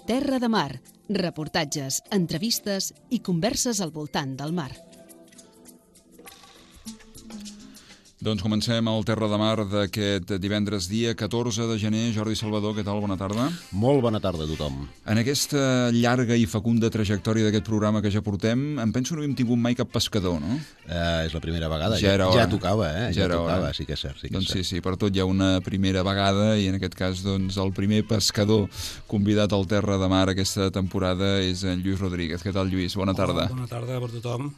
Terra de Mar, reportatges, entrevistes i converses al voltant del mar. Doncs comencem el Terra de Mar d'aquest divendres dia 14 de gener. Jordi Salvador, què tal? Bona tarda. Molt bona tarda a tothom. En aquesta llarga i fecunda trajectòria d'aquest programa que ja portem, em penso que no hem tingut mai cap pescador, no? És la primera vegada. Ja era hora. Ja tocava, Ja era tocava, hora. sí que és cert. Doncs sí, per tot hi ha una primera vegada i en aquest cas doncs, el primer pescador convidat al Terra de Mar aquesta temporada és en Lluís Rodríguez. Què tal, Lluís? Bona tarda. Bona tarda per tothom.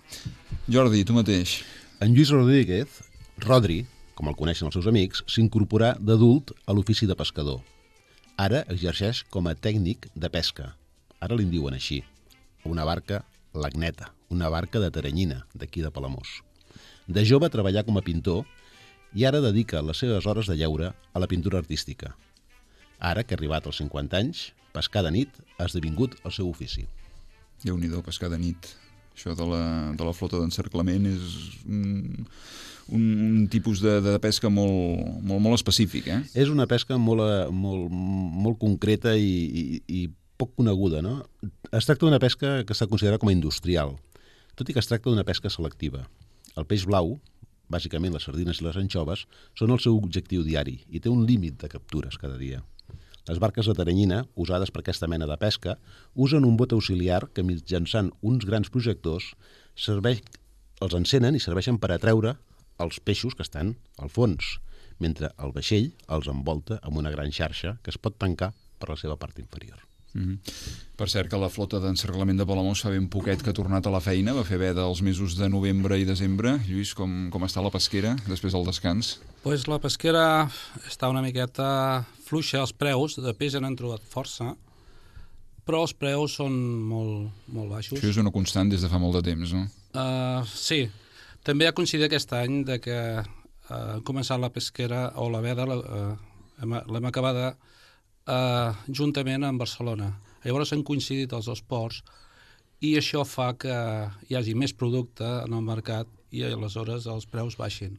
Jordi, tu mateix. En Lluís Rodríguez, Rodri, com el coneixen els seus amics, s'incorporà d'adult a l'ofici de pescador. Ara exerceix com a tècnic de pesca. Ara li'n diuen així. Una barca l'Agneta, una barca de Teranyina, d'aquí de Palamós. De jove treballà com a pintor i ara dedica les seves hores de lleure a la pintura artística. Ara, que ha arribat als 50 anys, pescar de nit ha esdevingut el seu ofici. Déu-n'hi-do, pescar de nit. Això de la flota d'encerclament és un tipus de pesca molt específic, eh? És una pesca molt concreta i poc coneguda, no? Es tracta d'una pesca que està considerada com a industrial, tot i que es tracta d'una pesca selectiva. El peix blau, bàsicament les sardines i les anxoves, són el seu objectiu diari i té un límit de captures cada dia. Les barques de Teranyina, usades per aquesta mena de pesca, usen un bot auxiliar que mitjançant uns grans projectors els encenen i serveixen per atreure els peixos que estan al fons, mentre el vaixell els envolta amb una gran xarxa que es pot tancar per la seva part inferior. Per cert, que la flota d'encerclament de Palamós fa ben poquet que ha tornat a la feina, va fer veda els mesos de novembre i desembre. Lluís, com està la pesquera després del descans? Pues la pesquera està una miqueta fluixa, els preus de peix han trobat força, però els preus són molt baixos. Això és una constant des de fa molt de temps, no? Sí, també ha coincidit aquest any de que ha començat la pesquera o la veda, l'hem acabada juntament amb Barcelona. Llavors han coincidit els dos ports i això fa que hi hagi més producte en el mercat i aleshores els preus baixin.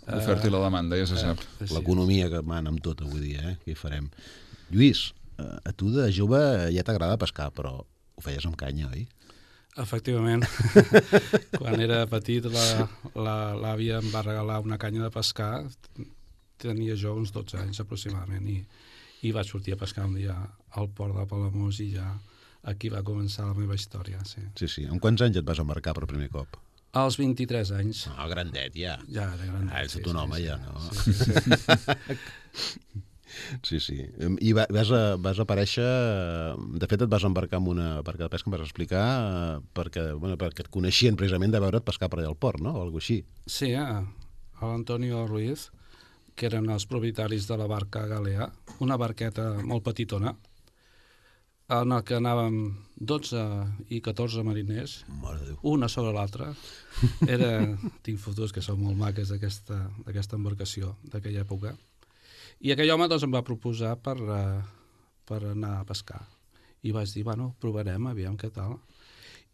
L'oferta i la demanda, ja se sap. Sí. L'economia que mana amb tot avui dia, què hi farem? Lluís, a tu de jove ja t'agrada pescar, però ho feies amb canya, oi? Efectivament. Quan era petit l'àvia em va regalar una canya de pescar, tenia jo uns 12 anys aproximadament i vaig sortir a pescar un dia al port de Palamós i ja aquí va començar la meva història. Sí. Amb quants anys et vas embarcar per primer cop? Als 23 anys. Grandet, ja. Ja, de grandet. Ets tot un home, ja, no? Sí. Sí. I vas aparèixer... De fet, et vas embarcar amb una barca de pesca, em vas explicar, perquè et coneixien precisament de veure't pescar per allà al port, no? O alguna així. Sí, l'Antonio Ruiz, que eren els propietaris de la barca Galea, una barqueta molt petitona, en el que anàvem 12 i 14 mariners, una sobre l'altra. Tinc fotos que són molt maques d'aquesta embarcació d'aquella època. I aquell home doncs, em va proposar per anar a pescar. I vaig dir, bueno, provarem, aviam què tal.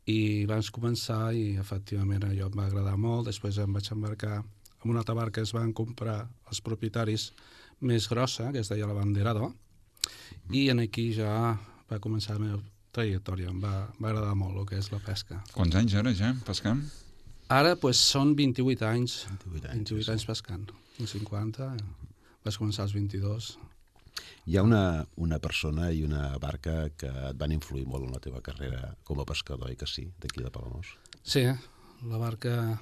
I vaig començar i efectivament allò em va agradar molt. Després em vaig embarcar amb una altra barca que es van comprar els propietaris més grossa, que es deia la Banderado, i aquí ja va començar la meva trajectòria. Em va agradar molt el que és la pesca. Quants anys ara ja pescant? Ara són 28 anys. 28 anys pescant. 50, vaig començar als 22. Hi ha una persona i una barca que et van influir molt en la teva carrera com a pescador, i que sí, d'aquí de Palamós. Sí, la barca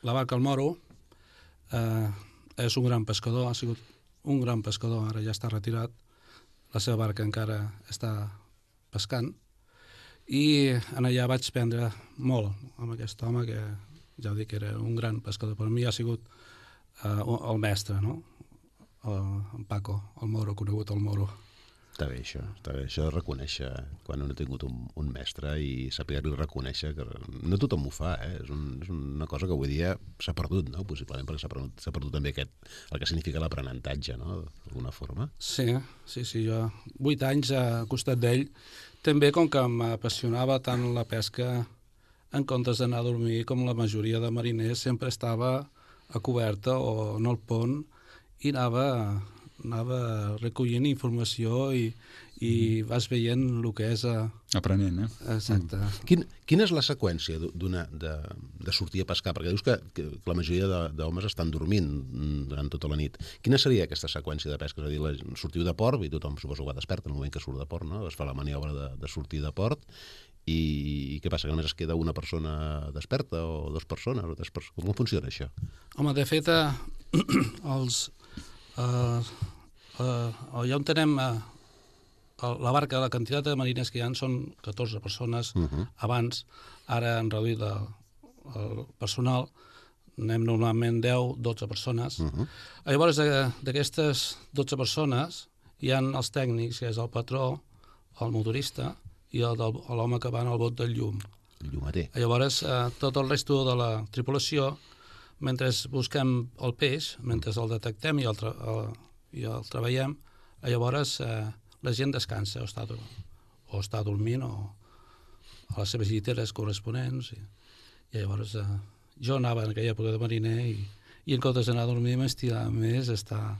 El Moro és un gran pescador, ha sigut un gran pescador, ara ja està retirat, la seva barca encara està pescant, i allà vaig aprendre molt amb aquest home que ja ho dic, era un gran pescador. Per mi ha sigut el mestre, no? En Paco, el Moro, conegut el Moro. Està bé això de reconèixer quan un ha tingut un mestre i saber-li reconèixer, que no tothom ho fa, és una cosa que avui dia s'ha perdut, no? Possiblement perquè s'ha perdut també el que significa l'aprenentatge, no? D'alguna forma. Sí, jo 8 anys al costat d'ell, també com que m'apassionava tant la pesca, en comptes d'anar a dormir com la majoria de mariners, sempre estava a coberta o en el pont i anava recollint informació i vas veient el que és... Aprenent, Exacte. Quina és la seqüència de sortir a pescar? Perquè dius que la majoria d'homes estan dormint durant tota la nit. Quina seria aquesta seqüència de pesca? És a dir, sortiu de port, i tothom suposo que va despert en el moment que surt de port, no? Es fa la maniobra de sortir de port, i què passa, que només es queda una persona desperta, o dues persones, o tres persones? Com funciona això? Home, de fet, allà on tenem la barca, la quantitat de marines que hi ha són 14 persones abans, ara han reduït el personal, anem normalment 10-12 persones. Llavors, d'aquestes 12 persones hi ha els tècnics, que és el patró, el motorista i l'home que va en el bot del llum. El llumeter. Llavors, tot el resto de la tripulació, mentre busquem el peix, mentre el detectem i el treballem, llavors la gent descansa o està dormint o a les seves lliteres corresponents. I llavors jo anava en aquella època de mariner i en comptes d'anar a dormir m'estirava més estar a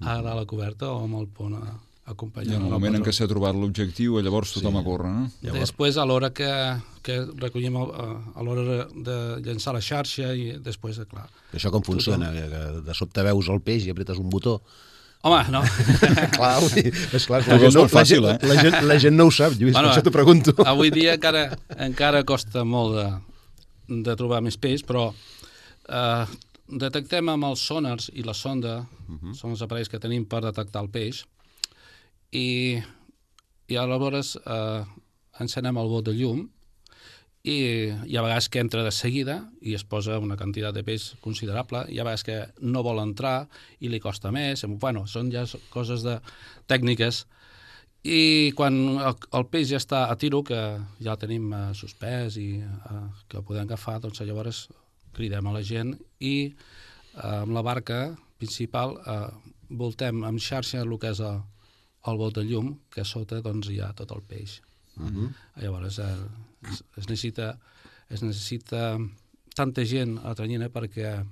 dalt a la coberta o amb el pont acompanyant. I en el moment en què s'ha trobat l'objectiu, llavors tothom a córrer, no? Després, a l'hora que recollim, a l'hora de llançar la xarxa, i després, clar... Això com funciona? Que de sobte veus el peix i apretes un botó? Home, no. Clar, és clar. La gent no ho sap, Lluís, per això t'ho pregunto. Avui dia encara costa molt de trobar més peix, però detectem amb els sonars i la sonda, són els aparells que tenim per detectar el peix, i aleshores encenem el bot de llum i hi ha vegades que entra de seguida i es posa una quantitat de peix considerable, hi ha vegades que no vol entrar i li costa més, bueno, són ja coses tècniques, i quan el peix ja està a tiro, que ja el tenim suspès i que el podem agafar, doncs llavors cridem a la gent i amb la barca principal voltem amb xarxa el que és el bot de llum, que a sota doncs, hi ha tot el peix. Llavors es necessita tanta gent a la tranyina perquè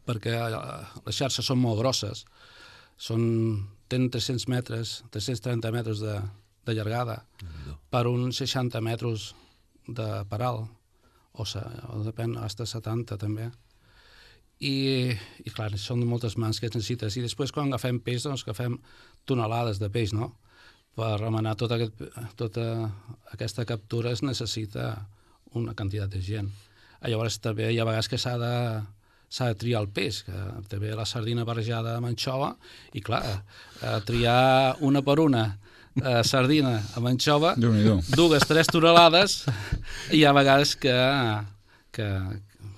les xarxes són molt grosses, tenen 300 metres, 330 metres de llargada per uns 60 metres de paral, o depèn, fins a 70 també. I clar, són moltes mans que es necessites. I després quan agafem peix, doncs agafem tonelades de peix, no? Per remenar tota aquesta captura es necessita una quantitat de gent. Llavors també hi ha vegades que s'ha de triar el peix, que també la sardina barrejada amb anxova, i clar, triar una per una sardina amb anxova, 2-3 tonelades, i hi ha vegades que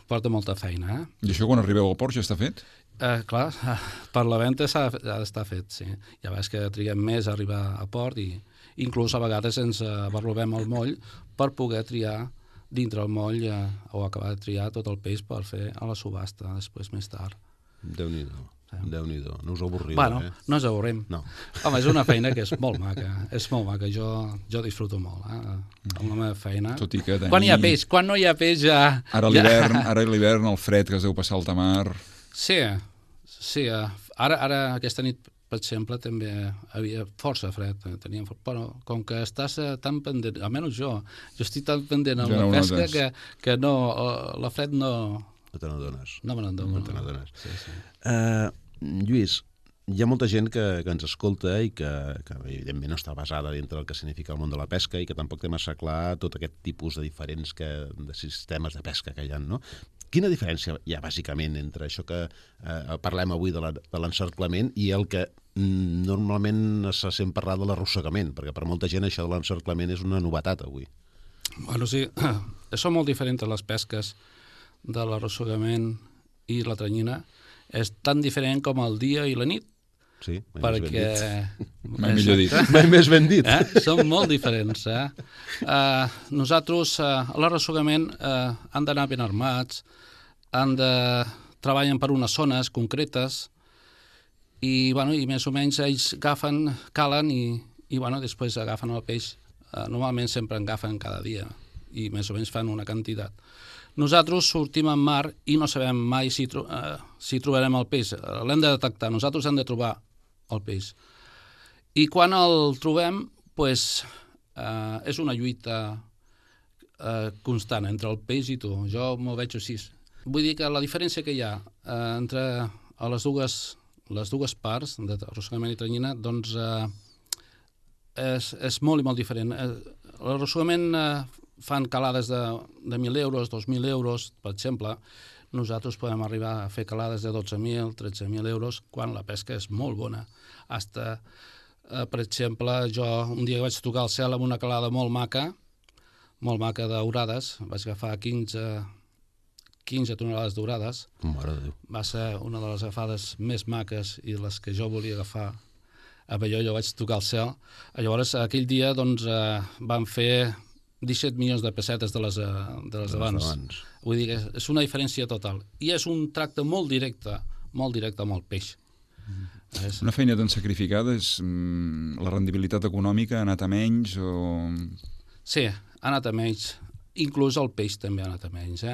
porta molta feina. I això quan arribeu al port ja està fet? Clar, per la venda ha d'estar fet, sí. Ja veus que triguem més a arribar a port i inclús a vegades ens barlovem el moll per poder triar dintre el moll o acabar de triar tot el peix per fer a la subhasta després més tard. Déu-n'hi-do. Déu-n'hi-do, no us avorriu, bueno, no ens avorrim. No. Home, és una feina que és molt maca, jo disfruto molt, amb la meva feina. Tot i que quan hi ha peix, quan no hi ha peix ja... Ara a l'hivern, el fred que es deu passar al tamar... Sí, ara aquesta nit, per exemple, també havia força fred, però com que estàs tan pendent, almenys jo estic tan pendent amb la pesca que no, la fred no... No te n'adones. No me n'adones. Sí. Lluís, hi ha molta gent que ens escolta i que evidentment no està basada dintre del que significa el món de la pesca i que tampoc té massa clar tot aquest tipus de diferents de sistemes de pesca que hi ha, no? Quina diferència hi ha bàsicament entre això que parlem avui de l'encerclament i el que normalment se sent parlar de l'arrossegament? Perquè per molta gent això de l'encerclament és una novetat avui. Bueno, sí, són molt diferents les pesques de l'arrossegament i la tranyina. És tan diferent com el dia i la nit. Sí, mai millor dit. Mai més ben dit. Són molt diferents. Nosaltres, a l'arrossegament, han d'anar ben armats, treballen per unes zones concretes i més o menys ells calen i després agafen el peix. Normalment sempre en agafen cada dia i més o menys fan una quantitat. Nosaltres sortim en mar i no sabem mai si trobarem el peix. L'hem de detectar. Nosaltres hem de trobar el peix. I quan el trobem, doncs, és una lluita constant entre el peix i tu. Jo m'ho veig així. Vull dir que la diferència que hi ha entre les dues parts, d'arrossegament i tranyina, doncs és molt i molt diferent. L'arrossegament fan calades de 1.000 euros, 2.000 euros, per exemple. Nosaltres podem arribar a fer calades de 12.000, 13.000 euros, quan la pesca és molt bona. Per exemple, jo un dia vaig tocar el cel amb una calada molt maca d'aurades, vaig agafar 15 tonelades d'aurades. Mare de Déu. Va ser una de les agafades més maques i les que jo volia agafar. Amb allò jo vaig tocar el cel. Llavors, aquell dia doncs, van fer 17 milions de pessetes de les d'abans. Vull dir que és una diferència total. I és un tracte molt directe amb el peix. Una feina tan sacrificada, la rendibilitat econòmica ha anat a menys o... Sí, ha anat a menys. Inclús el peix també ha anat a menys.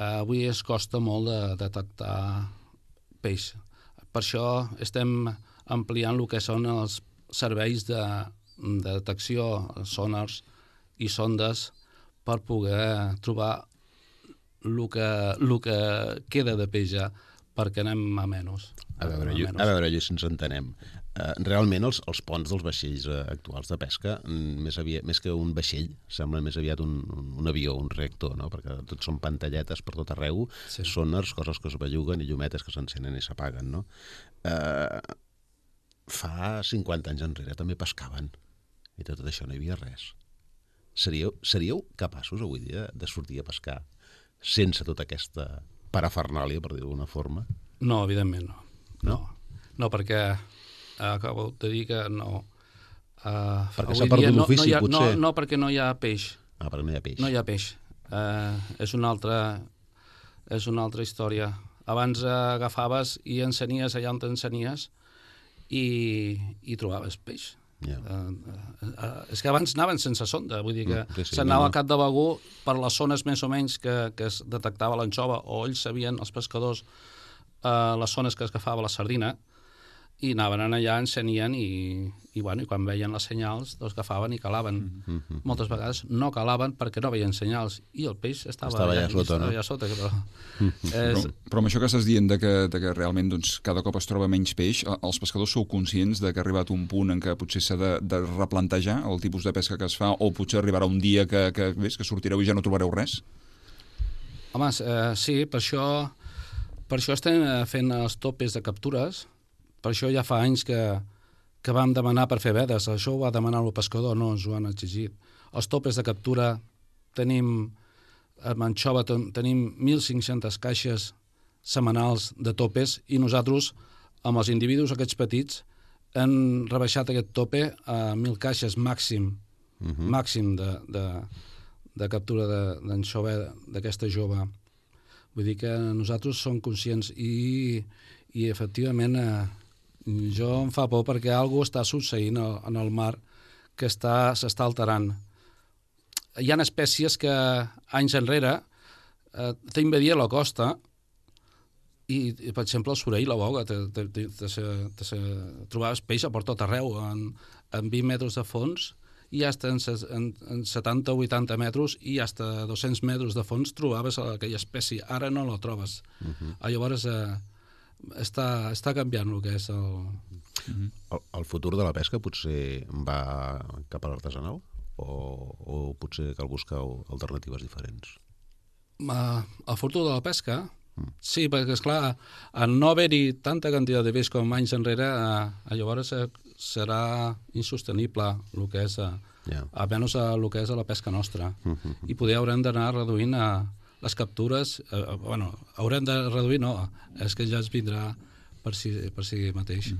Avui es costa molt de detectar peix. Per això estem ampliant el que són els serveis de detecció, sonars i sondes, per poder trobar el que queda de peix ja, perquè anem a menys. A veure, si ens entenem. Realment els ponts dels vaixells actuals de pesca, més que un vaixell, sembla més aviat un avió, un reactor, no? Perquè tots són pantalletes per tot arreu, sí. Sonars, coses que es belluguen i llumetes que s'encenen i s'apaguen, no? Fa 50 anys enrere també pescaven i tot això no hi havia res. Seríeu capaços avui dia de sortir a pescar sense tota aquesta parafernàlia, per dir-ho d'alguna forma? No, evidentment no. No, perquè acabo de dir que no. Perquè s'ha perdut l'ofici, potser? No, perquè no hi ha peix. Perquè no hi ha peix. No hi ha peix. És una altra història. Abans agafaves i encenies allà on t'encenies i trobaves peix. Yeah. És que abans anaven sense sonda, vull dir que s'anava al Cap de Begur per les zones més o menys que es detectava l'anxova, o ells sabien, els pescadors, les zones que es agafava la sardina, i anaven allà, encenien i quan veien les senyals doncs agafaven i calaven. Moltes vegades no calaven perquè no veien senyals i el peix estava allà sota. Però amb això que estàs dient que realment doncs, cada cop es troba menys peix, els pescadors sou conscients de que ha arribat un punt en què potser s'ha de replantejar el tipus de pesca que es fa, o potser arribarà un dia que sortireu i ja no trobareu res? Home, sí, per això estem fent els topes de captures. Per això ja fa anys que vam demanar per fer vedes. Això ho va demanar el pescador, no ens ho han exigit. Els topes de captura amb anxova tenim 1.500 caixes setmanals de topes i nosaltres, amb els individus aquests petits, hem rebaixat aquest tope a 1.000 caixes màxim de captura d'anxova d'aquesta jove. Vull dir que nosaltres som conscients i efectivament jo em fa por perquè alguna cosa està succeint en el mar que s'està alterant. Hi ha espècies que anys enrere t'invadia la costa i, per exemple, el surell, la boga, trobaves peix a per tot arreu, en 20 metres de fons i fins en 70 o 80 metres i fins a 200 metres de fons trobaves aquella espècie. Ara no la trobes. Llavors està canviant el que és el futur de la pesca potser va cap a l'artesanal o potser cal buscar alternatives diferents? El futur de la pesca? Sí, perquè esclar, en no haver-hi tanta quantitat de peix com anys enrere, llavors serà insostenible el que és almenys el que és la pesca nostra, i poder haurem d'anar reduint les captures. Haurem de reduir, no, és que ja es vindrà per si mateix.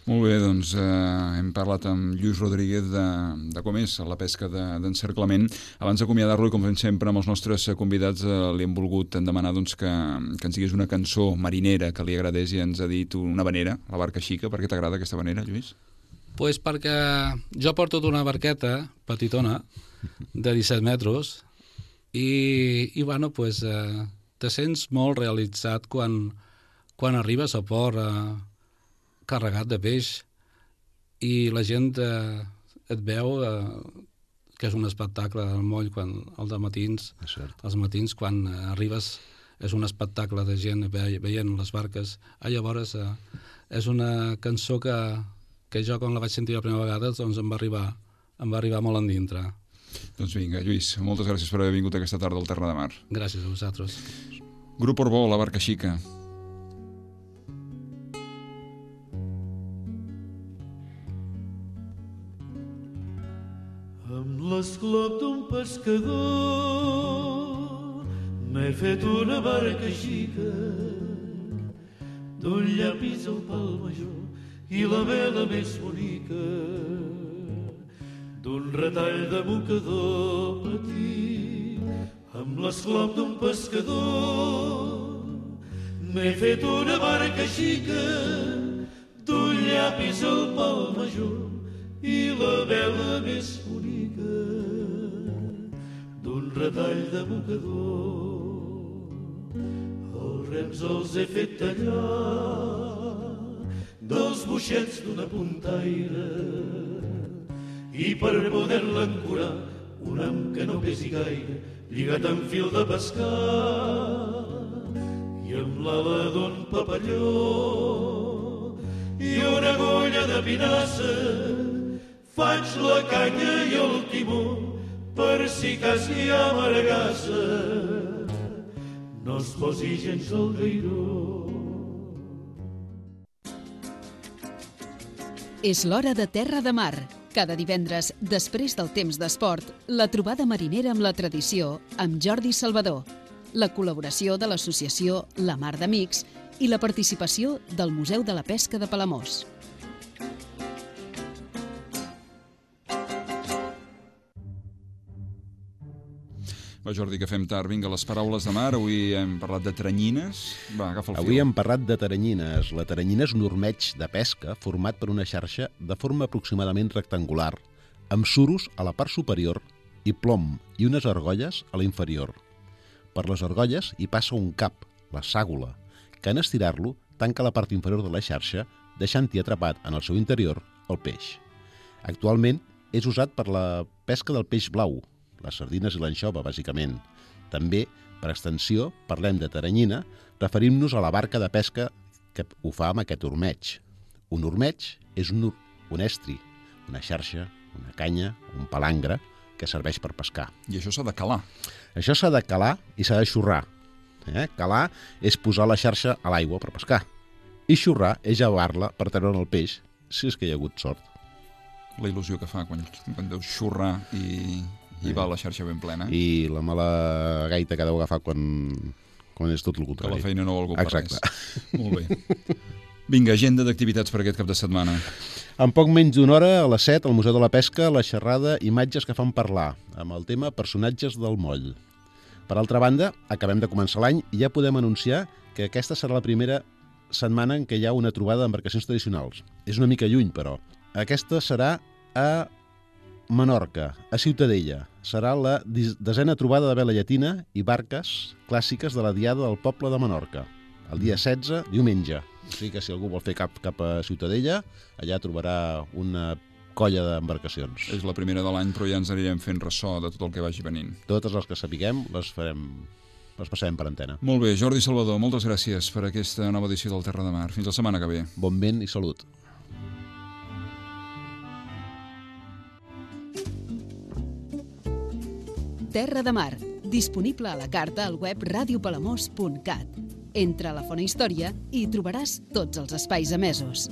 Molt bé, doncs hem parlat amb Lluís Rodríguez de com és la pesca d'encerclament. Abans d'acomiadar-lo, i com fem sempre amb els nostres convidats, li hem volgut demanar que ens digués una cançó marinera que li agradés, i ens ha dit una vanera, la Barca Xica. Per què t'agrada aquesta vanera, Lluís? Pues perquè jo porto una barqueta petitona de 17 metres i te sents molt realitzat quan arribes a port, carregat de peix i la gent et veu que és un espectacle del moll el de matins, els matins quan arribes és un espectacle de gent veient les barques. Llavors és una cançó que jo quan la vaig sentir la primera vegada doncs em va arribar molt endintre. Doncs vinga, Lluís, moltes gràcies per haver vingut aquesta tarda al Terra de Mar. Gràcies a vosaltres. Grup Orbó, La barca xica. Amb l'esclop d'un pescador m'he fet una barca xica d'un llapis al pal major i la vela més bonica d'un retall de mocador petit. Amb l'esclop d'un pescador m'he fet una barca xica d'un llapis al pal major i la vela més bonica d'un retall de mocador. Els rems els he fet tallar dels boixets d'una puntaire i per poder-la ancorar un ham que no pesi gaire lligat amb fil de pescar i amb l'ala d'un papalló i una agulla de pinassa faig la canya i el timó per si cas hi ha margassa no es posi gens al gairó. És l'hora de Terra de Mar. Cada divendres, després del temps d'esport, la trobada marinera amb la tradició amb Jordi Salvador, la col·laboració de l'associació La Mar d'Amics i la participació del Museu de la Pesca de Palamós. Va, Jordi, que fem tard. Vinga, les paraules de mar. Avui hem parlat de teranyines. Va, agafa el fil. Avui hem parlat de teranyines. La teranyina és un ormeig de pesca format per una xarxa de forma aproximadament rectangular, amb suros a la part superior i plom i unes argolles a la inferior. Per les argolles hi passa un cap, la ságula, que en estirar-lo tanca la part inferior de la xarxa, deixant-hi atrapat en el seu interior el peix. Actualment és usat per la pesca del peix blau, les sardines i l'anxova, bàsicament. També, per extensió, parlem de teranyina, referim-nos a la barca de pesca que ho fa amb aquest ormeig. Un ormeig és un estri, una xarxa, una canya, un palangre, que serveix per pescar. I això s'ha de calar. Això s'ha de calar i s'ha de xurrar. Calar és posar la xarxa a l'aigua per pescar. I xurrar és llevar-la per treure'n el peix, si és que hi ha hagut sort. La il·lusió que fa quan deus xurrar i va la xarxa ben plena. I la mala gaita que deu agafar quan és tot el contrari. Que la feina no vol per Exacte. res. Molt bé. Vinga, agenda d'activitats per aquest cap de setmana. En poc menys d'una hora, a les 7, al Museu de la Pesca, la xerrada Imatges que fan parlar, amb el tema Personatges del moll. Per altra banda, acabem de començar l'any i ja podem anunciar que aquesta serà la primera setmana en què hi ha una trobada d'embarcacions tradicionals. És una mica lluny, però. Aquesta serà a Menorca, a Ciutadella. Serà la 10a trobada de vela llatina i barques clàssiques de la Diada del Poble de Menorca, el dia 16, diumenge. O sigui que si algú vol fer cap a Ciutadella, allà trobarà una colla d'embarcacions. És la primera de l'any, però ja ens anirem fent ressò de tot el que vagi venint. Totes les que sapiguem les passarem per antena. Molt bé, Jordi Salvador, moltes gràcies per aquesta nova edició del Terra de Mar. Fins la setmana que ve. Bon vent i salut. Terra de Mar, disponible a la carta al web radiopalamós.cat. Entra a la Font Història i hi trobaràs tots els espais emesos.